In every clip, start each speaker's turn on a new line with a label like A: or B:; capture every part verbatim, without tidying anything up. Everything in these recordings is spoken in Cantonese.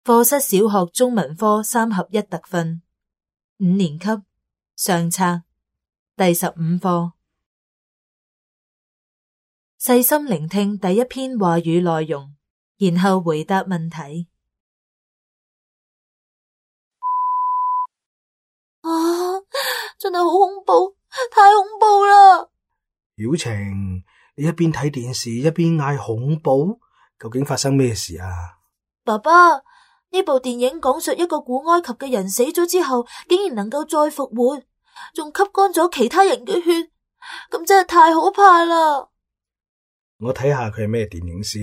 A: 課室小學中文科三合一特訓，五年級上冊第十五課。細心聆聽第一篇話語內容，然後回答問題。
B: 啊，真係好恐怖，太恐怖啦！
C: 曉晴，你一邊睇電視一邊嗌恐怖，究竟發生咩事啊？
B: 爸爸，呢部電影講述一個古埃及嘅人死咗之後，竟然能夠再復活，仲吸乾咗其他人嘅血，咁真係太可怕啦！
C: 我睇下佢係咩電影先。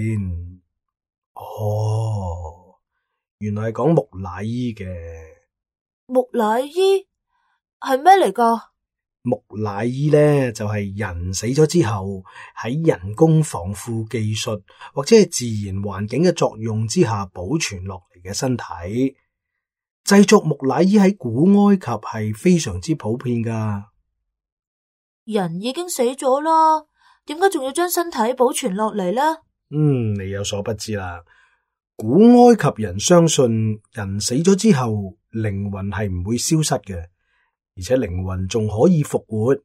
C: 哦，原來係講木乃伊嘅。
B: 木乃伊係咩嚟㗎？
C: 木乃伊呢，就係人死咗之後喺人工防腐技術或者係自然環境嘅作用之下保存落嚟嘅身體。製作木乃伊喺古埃及係非常之普遍㗎。
B: 人已經死咗啦，點解仲要將身體保存落嚟呢？
C: 嗯，你有所不知啦。古埃及人相信人死咗之後靈魂係唔會消失嘅，而且靈魂仲可以復活。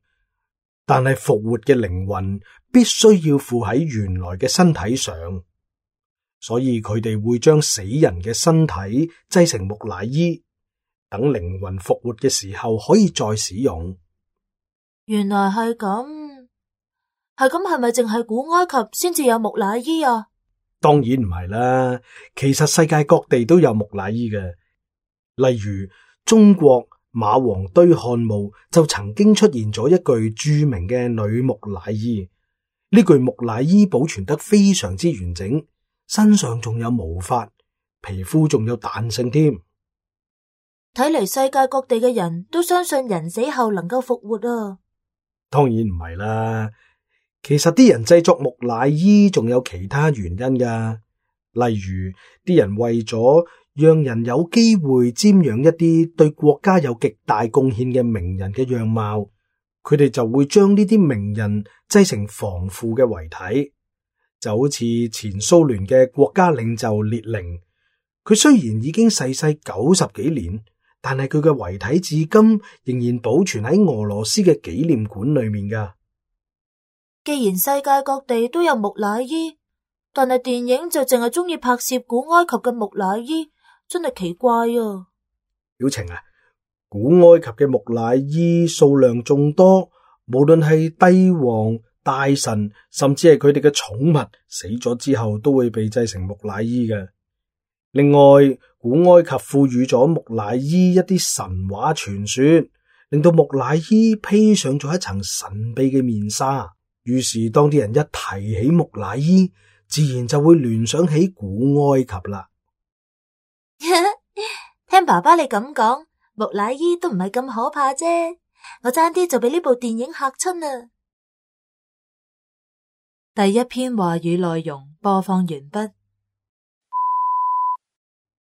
C: 但係復活嘅靈魂必須要附喺原來嘅身體上，所以佢哋會將死人嘅身體製成木乃伊，等靈魂復活嘅時候可以再使用。
B: 原來係咁，係咁係咪淨係古埃及先至有木乃伊啊？
C: 當然唔係啦，其實世界各地都有木乃伊嘅。例如中國馬王堆漢墓就曾經出現咗一具著名嘅女木乃伊。呢具木乃伊保存得非常之完整，身上仲有毛髮，皮膚仲有彈性添。
B: 睇嚟世界各地嘅人都相信人死後能夠復活啊！
C: 當然唔係啦，其實啲人製作木乃伊仲有其他原因㗎，例如啲人為咗讓人有機會瞻仰一啲對國家有極大貢獻嘅名人嘅樣貌，佢哋就會將呢啲名人製成防腐嘅遺體，就好似前蘇聯嘅國家領袖列寧，佢雖然已經逝世九十幾年，但係佢嘅遺體至今仍然保存喺俄羅斯嘅紀念館裏面噶。
B: 既然世界各地都有木乃伊，但係電影就淨係中意拍攝古埃及嘅木乃伊，真係奇怪啊！
C: 曉晴啊，古埃及嘅木乃伊數量眾多，無論係帝王、大臣，甚至係佢哋嘅寵物，死咗之後都會被製成木乃伊嘅。另外，古埃及賦予咗木乃伊一啲神話傳說，令到木乃伊披上咗一層神秘嘅面紗。於是當啲人一提起木乃伊，自然就會聯想起古埃及啦。
B: 聽爸爸你咁講，木乃伊都唔係咁可怕啫，我爭啲就俾呢部電影嚇親啊！
A: 第一篇話語內容播放完畢。